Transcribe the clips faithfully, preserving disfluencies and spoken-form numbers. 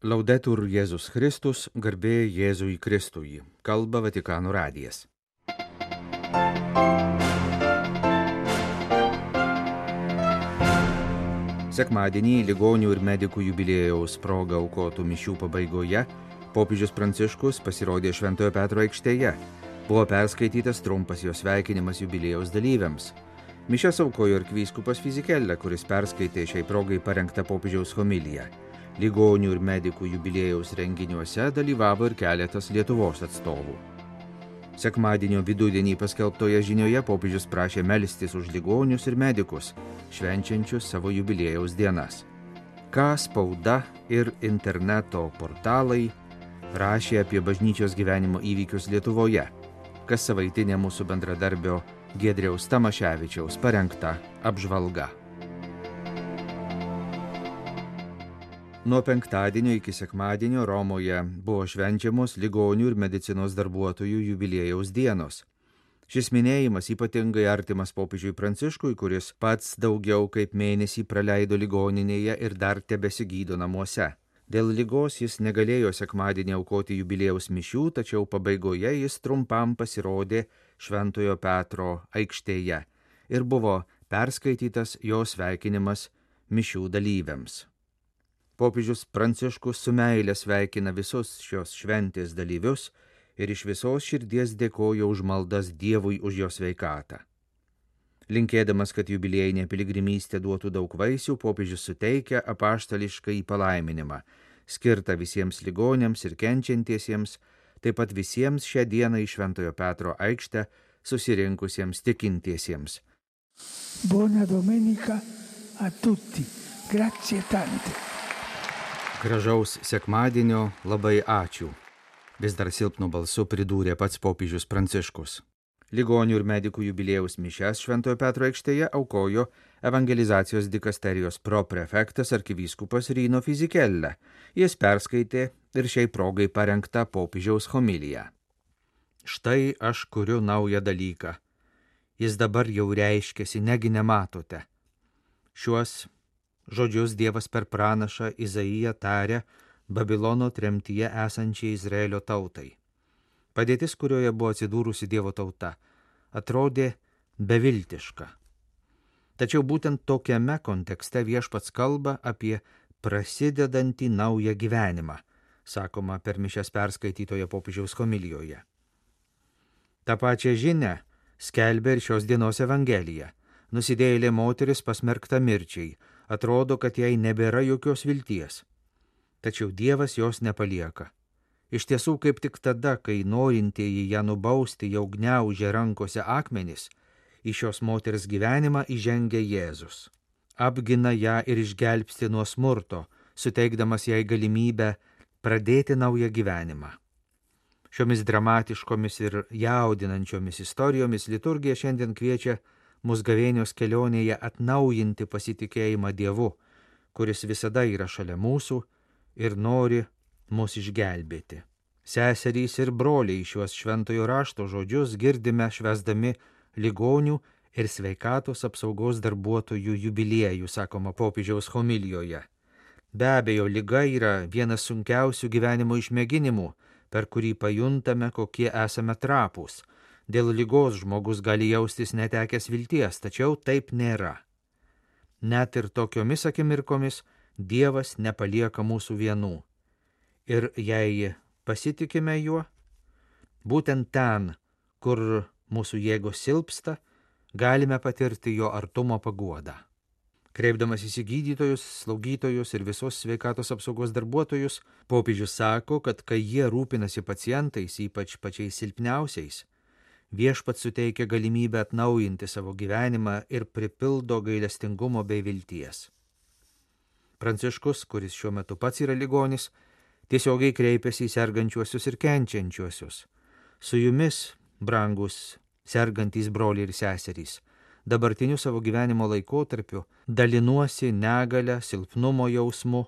Laudetur Jėzus Kristus, garbė Jėzui Kristui. Kalba Vatikano radijas. Sekmadienį ligonių ir medikų jubiliejaus proga aukotų mišių pabaigoje popiežius Pranciškus pasirodė Šventojo Petro aikštėje. Buvo perskaitytas trumpas jo sveikinimas jubiliejaus dalyviams. Mišias aukojo arkivyskupas Fizikella, kuris perskaitė šiai progai parengtą popiežiaus homiliją. Ligonių ir medikų jubiliejaus renginiuose dalyvavo ir keletas Lietuvos atstovų. Sekmadienio vidudienį paskelbtoje žinioje popiežius prašė melstis už ligonius ir medikus, švenčiančius savo jubiliejaus dienas. Ką spauda ir interneto portalai rašė apie bažnyčios gyvenimo įvykius Lietuvoje, kas savaitinė mūsų bendradarbio Giedriaus Tamaševičiaus parengta apžvalga. Nuo penktadienio iki sekmadienio Romoje buvo švenčiamos ligonių ir medicinos darbuotojų jubiliejaus dienos. Šis minėjimas ypatingai artimas popiežiui Pranciškui, kuris pats daugiau kaip mėnesį praleido ligoninėje ir dar tebesigydo namuose. Dėl ligos jis negalėjo sekmadienį aukoti jubiliejaus mišių, tačiau pabaigoje jis trumpam pasirodė Šventojo Petro aikštėje ir buvo perskaitytas jo sveikinimas mišių dalyviams. Popiežius Pranciškus su meile sveikina visus šios šventės dalyvius ir iš visos širdies dėkoja už maldas Dievui už jo sveikatą. Linkėdamas, kad jubiliejinė piligrimystė duotų daug vaisių, popiežius suteikia apaštališką palaiminimą, skirtą visiems ligoniams ir kenčiantiesiems, taip pat visiems šią dieną į Šventojo Petro aikštę susirinkusiems tikintiesiems. Buona domenica a tutti. Grazie tante. Gražaus sekmadienio, labai ačiū. Vis dar silpnu balsu pridūrė pats popiežius Pranciškus. Ligonių ir medikų jubiliejaus mišias Šventojo Petro aikštėje aukojo evangelizacijos dikasterijos proprefektas arkivyskupas Rino Fizikella. Jis perskaitė ir šiai progai parengtą popiežiaus homiliją. Štai aš kuriu naują dalyką. Jis dabar jau reiškiasi, negi nematote. Šiuos žodžius Dievas per pranašą Izaiją tarė Babilono tremtyje esančiai Izraelio tautai. Padėtis, kurioje buvo atsidūrusi Dievo tauta, atrodė beviltiška. Tačiau būtent tokiame kontekste viešpats kalba apie prasidedantį naują gyvenimą, sakoma per mišias perskaitytoje popiežiaus homilijoje. Ta pačia žinia skelbia ir šios dienos evangelija. Nusidėjėlė moteris pasmerkta mirčiai, atrodo, kad jai nebėra jokios vilties. Tačiau Dievas jos nepalieka. Iš tiesų, kaip tik tada, kai norintieji ją nubausti jau gniaužė rankose akmenis, į šios moters gyvenimą įžengia Jėzus. Apgina ją ir išgelbsti nuo smurto, suteikdamas jai galimybę pradėti naują gyvenimą. Šiomis dramatiškomis ir jaudinančiomis istorijomis liturgija šiandien kviečia mus gavėnios kelionėje atnaujinti pasitikėjimą Dievu, kuris visada yra šalia mūsų ir nori mus išgelbėti. Seserys ir broliai šiuos šventojo rašto žodžius girdime švęsdami ligonių ir sveikatos apsaugos darbuotojų jubiliejų, sakoma popiežiaus homilijoje. Be abejo, liga yra vienas sunkiausių gyvenimo išmėginimų, per kurį pajuntame, kokie esame trapūs. Dėl ligos žmogus gali jaustis netekęs vilties, tačiau taip nėra. Net ir tokiomis akimirkomis Dievas nepalieka mūsų vienų. Ir jei pasitikime juo, būtent ten, kur mūsų jėgos silpsta, galime patirti jo artumo paguodą. Kreipdamas į gydytojus, slaugytojus ir visos sveikatos apsaugos darbuotojus, popiežius sako, kad kai jie rūpinasi pacientais, ypač pačiais silpniausiais, viešpats suteikia galimybę atnaujinti savo gyvenimą ir pripildo gailestingumo bei vilties. Pranciškus, kuris šiuo metu pats yra ligonis, tiesiogiai kreipiasi į sergančiuosius ir kenčiančiuosius. Su jumis, brangus sergantys broliai ir seserys, dabartiniu savo gyvenimo laikotarpiu dalinuosi negalę, silpnumo jausmu,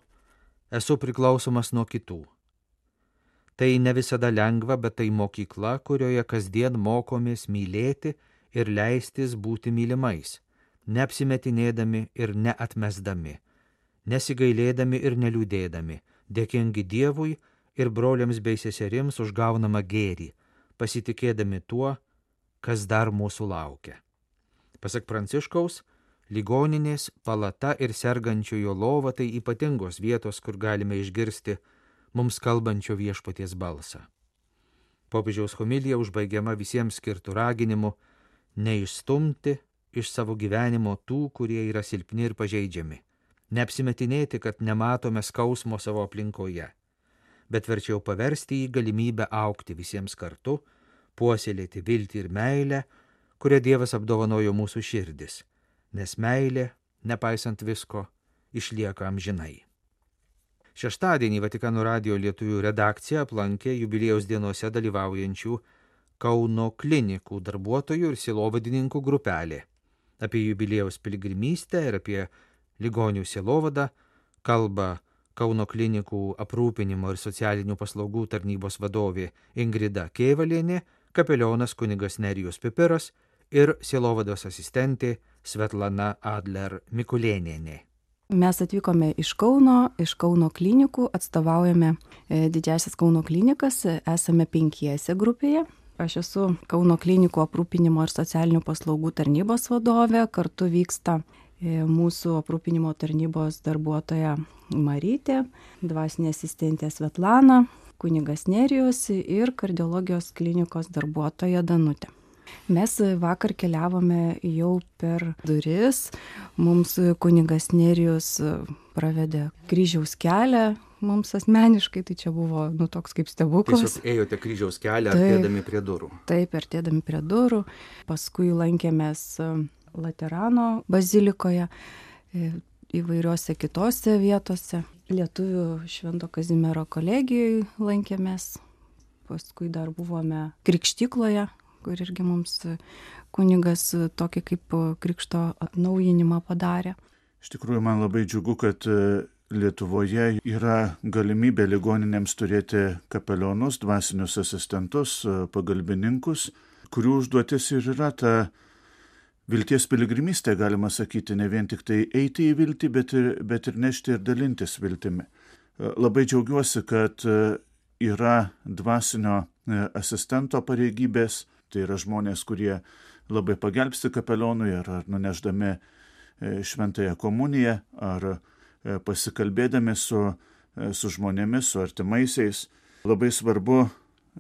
esu priklausomas nuo kitų. Tai ne visada lengva, bet tai mokykla, kurioje kasdien mokomės mylėti ir leistis būti mylimais, neapsimetinėdami ir neatmesdami. nesigailėdami ir neliūdėdami, dėkingi Dievui ir broliams bei seserims už gaunamą gėrį, pasitikėdami tuo, kas dar mūsų laukia. Pasak Pranciškaus, ligoninės, palata ir sergančiojo lova tai ypatingos vietos, kur galime išgirsti mums kalbančio viešpaties balsą. Popiežiaus homilija užbaigiama visiems skirtų raginimu neišstumti iš savo gyvenimo tų, kurie yra silpni ir pažeidžiami, neapsimetinėti, kad nematome skausmo savo aplinkoje, bet verčiau paversti į galimybę augti visiems kartu, puoselėti viltį ir meilę, kurią Dievas apdovanojo mūsų širdis, nes meilė, nepaisant visko, išlieka amžinai. Šeštadienį Vatikano radijo lietuvių redakcija aplankė jubiliejaus dienose dalyvaujančių Kauno klinikų darbuotojų ir sielovadininkų grupelė. Apie jubiliejaus piligrimystę ir apie ligonių sielovadą kalba Kauno klinikų aprūpinimo ir socialinių paslaugų tarnybos vadovė Ingrida Kėvalienė, kapelionas kunigas Nerijus Pipiras ir sielovados asistentė Svetlana Adler Mikulėnienė. Mes atvykome iš Kauno, iš Kauno klinikų, atstovaujame didžiasias Kauno klinikas, esame penkiese grupėje. Aš esu Kauno klinikų aprūpinimo ir socialinių paslaugų tarnybos vadovė, kartu vyksta mūsų aprūpinimo tarnybos darbuotoja Marytė, dvasinė asistentė Svetlana, kunigas Nerijus ir kardiologijos klinikos darbuotoja Danutė. Mes vakar keliavome jau per duris, mums kunigas Nerijus pravedė kryžiaus kelią, mums asmeniškai tai čia buvo nu, toks kaip stebuklas. Tiesiog ėjote kryžiaus kelią artėdami prie durų. Taip, artėdami prie durų, paskui lankėmės Laterano bazilikoje, įvairiuose kitose vietose. Lietuvių Švento Kazimiero kolegijoje lankėmės, paskui dar buvome Krikštykloje, kur irgi mums kunigas tokį kaip krikšto atnaujinimą padarė. Iš tikrųjų, man labai džiugu, kad Lietuvoje yra galimybė ligoninėms turėti kapelionus, dvasinius asistentus, pagalbininkus, kurių užduotis ir yra ta vilties piligrimystė, galima sakyti, ne vien tik tai eiti į viltį, bet ir, bet ir nešti ir dalintis viltimi. Labai džiaugiuosi, kad yra dvasinio asistento pareigybės, tai yra žmonės, kurie labai pagelbsti kapelionui ar, ar nuneždami šventąją komuniją, ar pasikalbėdami su, su žmonėmis, su artimaisiais. Labai svarbu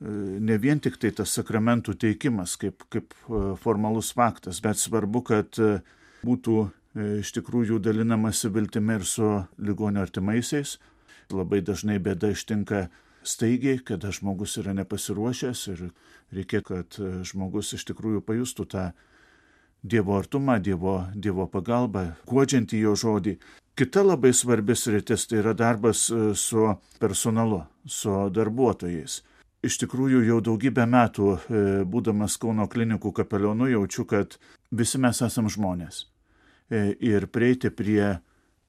ne vien tik tai tas sakramentų teikimas kaip, kaip formalus faktas, bet svarbu, kad būtų iš tikrųjų dalinamasi viltimi ir su ligonio artimaisiais. Labai dažnai bėda ištinka staigiai, kada žmogus yra nepasiruošęs ir reikia, kad žmogus iš tikrųjų pajustų tą Dievo artumą, Dievo, dievo pagalbą, guodžiantį jo žodį. Kita labai svarbi sritis tai yra darbas su personalu, su darbuotojais. Iš tikrųjų, jau daugybę metų, būdamas Kauno klinikų kapelionu, jaučiu, kad visi mes esam žmonės. Ir prieiti prie,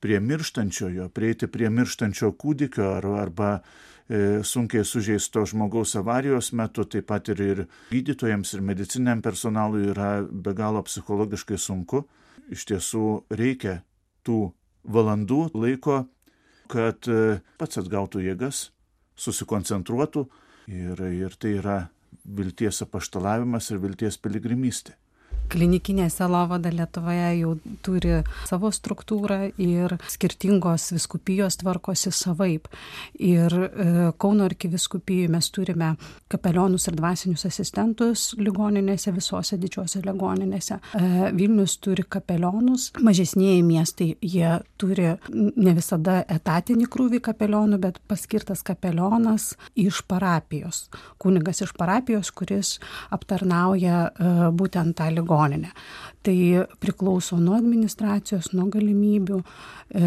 prie mirštančiojo, prieiti prie mirštančio kūdikio ar, arba sunkiai sužeisto žmogaus avarijos metu, taip pat ir, ir gydytojams ir mediciniam personalui yra be galo psichologiškai sunku. Iš tiesų reikia tų valandų laiko, kad pats atgautų jėgas, susikoncentruotų ir, ir tai yra vilties apaštalavimas ir vilties piligrimystė. Klinikinė sielovada Lietuvoje jau turi savo struktūrą ir skirtingos vyskupijos tvarkosi savaip. Ir e, Kauno arkivyskupijai mes turime kapelionus ir dvasinius asistentus ligoninėse, visose didžiosiose ligoninėse. E, Vilnius turi kapelionus, mažesnieji miestai jie turi ne visada etatinį krūvį kapelionų, bet paskirtas kapelionas iš parapijos. Kunigas iš parapijos, kuris aptarnauja e, būtent tą ligoninę. Tai priklauso nuo administracijos, nuo galimybių e,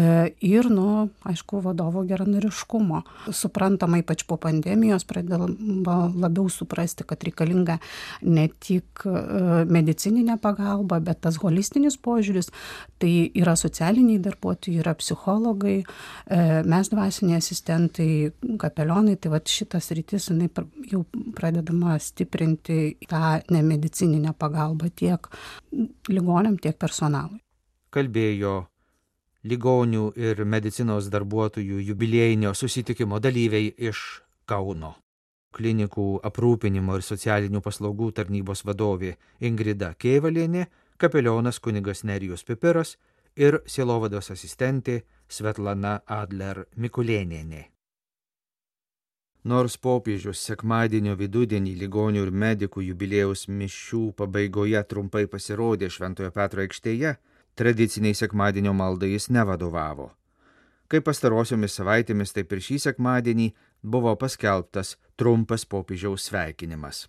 ir nuo, aišku, vadovo geranoriškumo. Suprantama, ypač po pandemijos pradėjome labiau suprasti, kad reikalinga ne tik e, medicininė pagalba, bet tas holistinis požiūris. Tai yra socialiniai darbuotojai, yra psichologai, e, mes dvasiniai asistentai, kapelionai. Tai vat šitas rytis jinai jau pradedama stiprinti tą nemedicininę pagalbą tiek ligoniam, tiek personalui. Kalbėjo ligonių ir medicinos darbuotojų jubiliejinio susitikimo dalyviai iš Kauno. Klinikų aprūpinimo ir socialinių paslaugų tarnybos vadovė Ingrida Kėvalienė, kapelionas kunigas Nerijus Pipiras ir sielovados asistentė Svetlana Adler Mikulėnienė. Nors popiežius sekmadienio vidudienį ligonių ir medikų jubiliejaus mišių pabaigoje trumpai pasirodė Šventojo Petro aikštėje, tradiciniai sekmadienio maldai jis nevadovavo. Kaip pastarosiomis savaitėmis, taip ir šį sekmadienį buvo paskelbtas trumpas popiežiaus sveikinimas.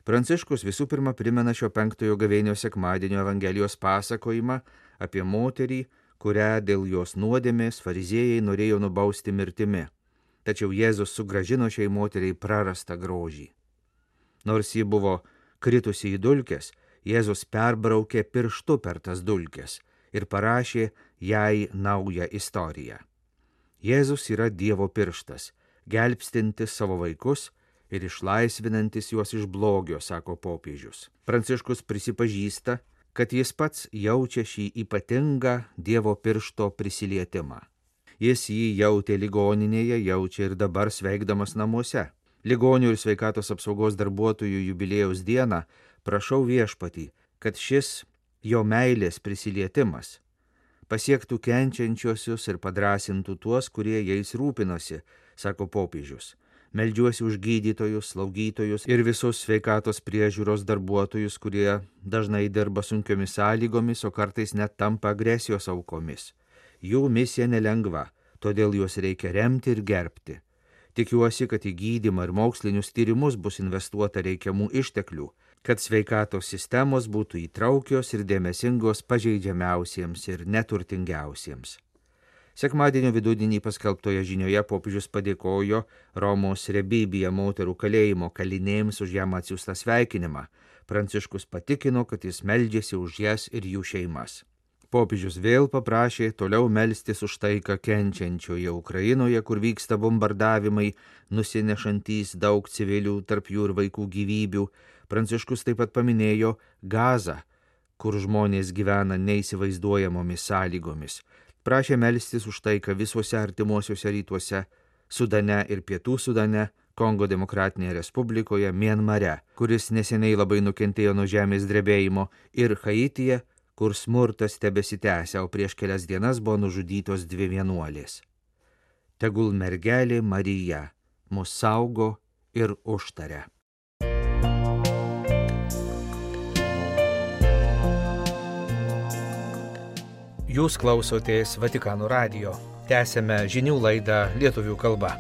Pranciškus visų pirma primena šio penktojo gavėnio sekmadienio Evangelijos pasakojimą apie moterį, kurią dėl jos nuodėmės fariziejai norėjo nubausti mirtimi. Tačiau Jėzus sugrąžino šiai moteriai prarastą grožį. Nors ji buvo kritusi į dulkes, Jėzus perbraukė pirštu per tas dulkes ir parašė jai naują istoriją. Jėzus yra Dievo pirštas, gelbstintis savo vaikus ir išlaisvinantis juos iš blogio, sako popiežius. Pranciškus prisipažįsta, kad jis pats jaučia šį ypatingą Dievo piršto prisilietimą. Jis jį jautė ligoninėje, jaučia ir dabar sveikdamas namuose. Ligonių ir sveikatos apsaugos darbuotojų jubiliejaus dieną prašau Viešpatį, kad šis jo meilės prisilietimas pasiektų kenčiančiosius ir padrąsintų tuos, kurie jais rūpinosi, sako popiežius. Meldžiuosi už gydytojus, slaugytojus ir visus sveikatos priežiūros darbuotojus, kurie dažnai dirba sunkiomis sąlygomis, o kartais net tampa agresijos aukomis. Jų misija nelengva, todėl juos reikia remti ir gerbti. Tikiuosi, kad į gydymą ir mokslinius tyrimus bus investuota reikiamų išteklių, kad sveikatos sistemos būtų įtraukios ir dėmesingos pažeidžiamiausiems ir neturtingiausiems. Sekmadienio vidudienį paskelbtoje žinioje popiežius padėkojo Romos Rebibija moterų kalėjimo kalinėms už jam atsiųstą sveikinimą. Pranciškus patikino, kad jis meldžiasi už jas ir jų šeimas. Popiežius vėl paprašė toliau melstis už taiką kenčiančioje Ukrainoje, kur vyksta bombardavimai, nusinešantys daug civilių, tarp jų ir vaikų gyvybių. Pranciškus taip pat paminėjo Gazą, kur žmonės gyvena neįsivaizduojamomis sąlygomis. Prašė melstis už taiką visuose artimuosiuose rytuose, Sudane ir Pietų Sudane, Kongo Demokratinėje Respublikoje, Mianmare, kuris neseniai labai nukentėjo nuo žemės drebėjimo, ir Haityje, kur smurtas tebesitęsia, o prieš kelias dienas buvo nužudytos dvi vienuolės. Tegul mergelė Marija mus saugo ir užtaria. Jūs klausotės Vatikano radijo. Tęsiame žinių laidą lietuvių kalba.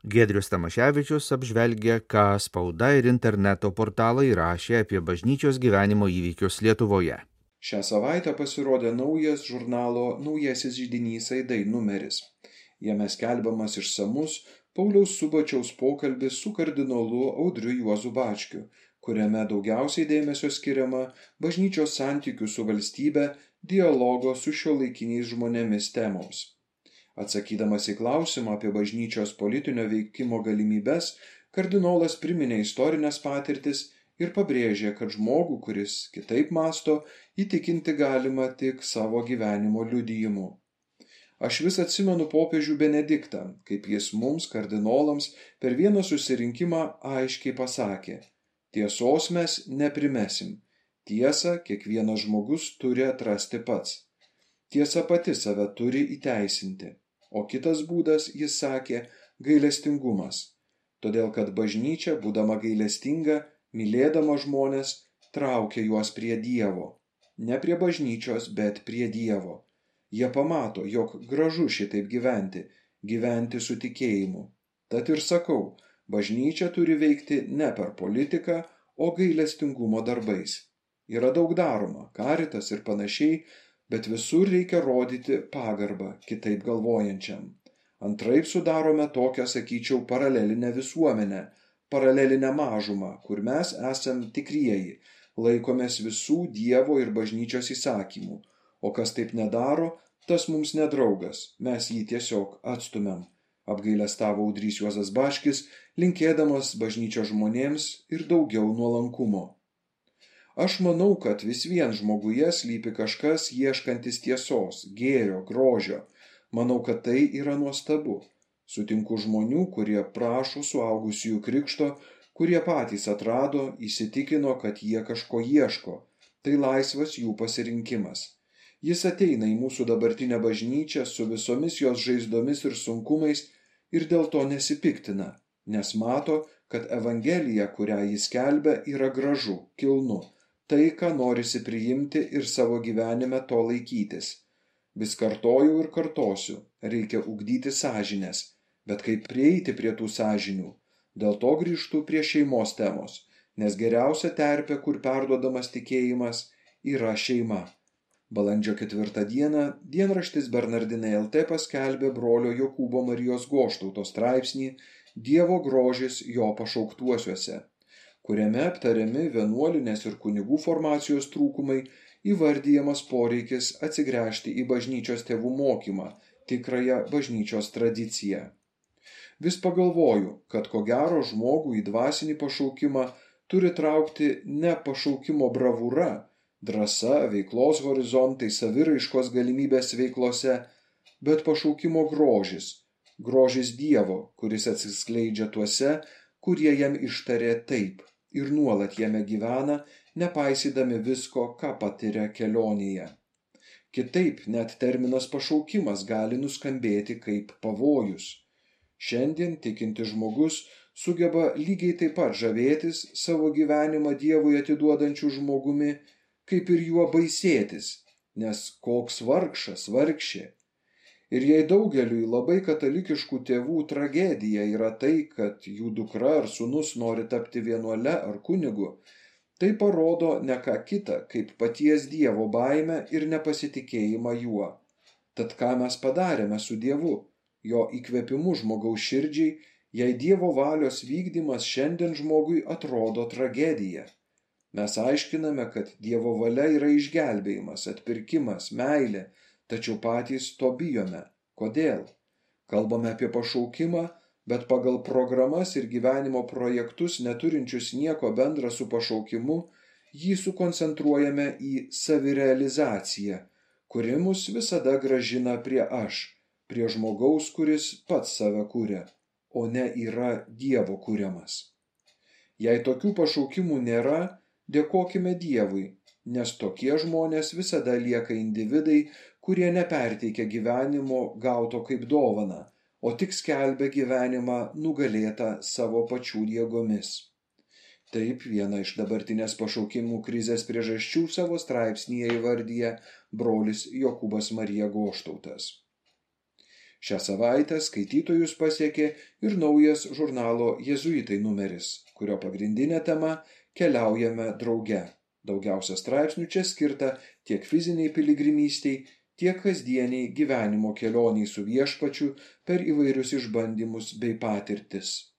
Giedrius Tamaševičius apžvelgia, ką spauda ir interneto portalai rašė apie bažnyčios gyvenimo įvykius Lietuvoje. Šią savaitę pasirodė naujas žurnalo Naujasis židinys Aidai numeris. Jame skelbiamas išsamus Pauliaus Subačiaus pokalbis su kardinolu Audriu Juozu Bačkiu, kuriame daugiausiai dėmesio skiriama bažnyčios santykių su valstybe, dialogo su šiuolaikiniais žmonėmis temoms. Atsakydamas į klausimą apie bažnyčios politinio veikimo galimybes, kardinolas priminė istorinės patirtis ir pabrėžė, kad žmogų, kuris kitaip mąsto, įtikinti galima tik savo gyvenimo liudijimu. Aš vis atsimenu popiežių Benediktą, kaip jis mums, kardinolams, per vieną susirinkimą aiškiai pasakė: tiesos mes neprimesim, tiesą kiekvienas žmogus turi atrasti pats. Tiesa pati save turi įteisinti. O kitas būdas, jis sakė, gailestingumas. Todėl, kad bažnyčia, būdama gailestinga, mylėdama žmonės, traukia juos prie Dievo. Ne prie bažnyčios, bet prie Dievo. Jie pamato, jog gražu šitaip gyventi, gyventi su tikėjimu. Tad ir sakau, bažnyčia turi veikti ne per politiką, o gailestingumo darbais. Yra daug daroma, karitas ir panašiai, bet visur reikia rodyti pagarbą kitaip galvojančiam. Antraip sudarome tokią, sakyčiau, paralelinę visuomenę, paralelinę mažumą, kur mes esam tikrieji, laikomės visų Dievo ir bažnyčios įsakymų, o kas taip nedaro, tas mums nedraugas, mes jį tiesiog atstumiam, apgailestavo Audrys Juozas Bačkis, linkėdamas bažnyčios žmonėms ir daugiau nuolankumo. Aš manau, kad vis vien žmoguje slypi kažkas ieškantis tiesos, gėrio, grožio. Manau, kad tai yra nuostabu. Sutinku žmonių, kurie prašo suaugusiųjų krikšto, kurie patys atrado, įsitikino, kad jie kažko ieško. Tai laisvas jų pasirinkimas. Jis ateina į mūsų dabartinę bažnyčią su visomis jos žaizdomis ir sunkumais ir dėl to nesipiktina, nes mato, kad Evangelija, kurią jis skelbia, yra gražu, kilnu, tai, ką norisi priimti ir savo gyvenime to laikytis. Vis kartojau ir kartosiu, reikia ugdyti sąžines, bet kaip prieiti prie tų sąžinių? Dėl to grįžtu prie šeimos temos, nes geriausia terpė, kur perduodamas tikėjimas, yra šeima. Balandžio ketvirtą dieną dienraštis Bernardinai L T paskelbė brolio Jokūbo Marijos Goštauto straipsnį Dievo grožis jo pašauktuosiuose, kuriame aptariami vienuolinės ir kunigų formacijos trūkumai, įvardijamas poreikis atsigręžti į bažnyčios tėvų mokymą, tikrąją bažnyčios tradiciją. Vis pagalvoju, kad ko gero žmogų į dvasinį pašaukimą turi traukti ne pašaukimo bravūra, drąsa, veiklos horizontai, saviraiškos galimybės veiklose, bet pašaukimo grožis, grožis Dievo, kuris atsiskleidžia tuose, kurie jam ištarė taip ir nuolat jame gyvena, nepaisydami visko, ką patiria kelionėje. Kitaip net terminas pašaukimas gali nuskambėti kaip pavojus. Šiandien tikintis žmogus sugeba lygiai taip pat žavėtis savo gyvenimą Dievui atiduodančiu žmogumi, kaip ir juo baisėtis, nes koks vargšas, vargšė. Ir jei daugeliui labai katalikiškų tėvų tragedija yra tai, kad jų dukra ar sūnus nori tapti vienuole ar kunigu, tai parodo ne ką kita, kaip paties Dievo baimę ir nepasitikėjimą juo. Tad ką mes padarėme su Dievu, jo įkvėpimu žmogaus širdžiai, jei Dievo valios vykdymas šiandien žmogui atrodo tragedija. Mes aiškiname, kad Dievo valia yra išgelbėjimas, atpirkimas, meilė, tačiau patys to bijome. Kodėl? Kalbame apie pašaukimą, bet pagal programas ir gyvenimo projektus neturinčius nieko bendra su pašaukimu, jį sukoncentruojame į savirealizaciją, kuri mus visada grąžina prie aš, prie žmogaus, kuris pats save kuria, o ne yra Dievo kuriamas. Jei tokių pašaukimų nėra, dėkokime Dievui, nes tokie žmonės visada lieka individai, kurie neperteikia gyvenimo gauto kaip dovaną, o tik skelbia gyvenimą nugalėtą savo pačių jėgomis. Taip viena iš dabartinės pašaukimų krizės priežasčių savo straipsnyje įvardyja brolis Jokūbas Marija Goštautas. Šią savaitę skaitytojus pasiekė ir naujas žurnalo Jėzuitai numeris, kurio pagrindinė tema Keliaujame drauge. Daugiausia straipsnių čia skirta tiek fiziniai piligrimystei, tiek kasdieniai gyvenimo kelioniai su viešpačiu per įvairius išbandymus bei patirtis.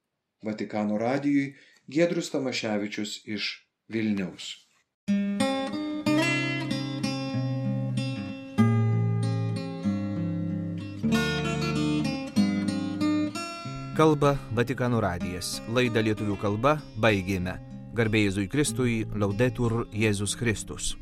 Vatikano radijui Giedrius Tamaševičius iš Vilniaus. Kalba Vatikano radijas. Laidą lietuvių kalba baigėme. Garbė Jėzui Kristui, Laudetur Jėzus Kristus.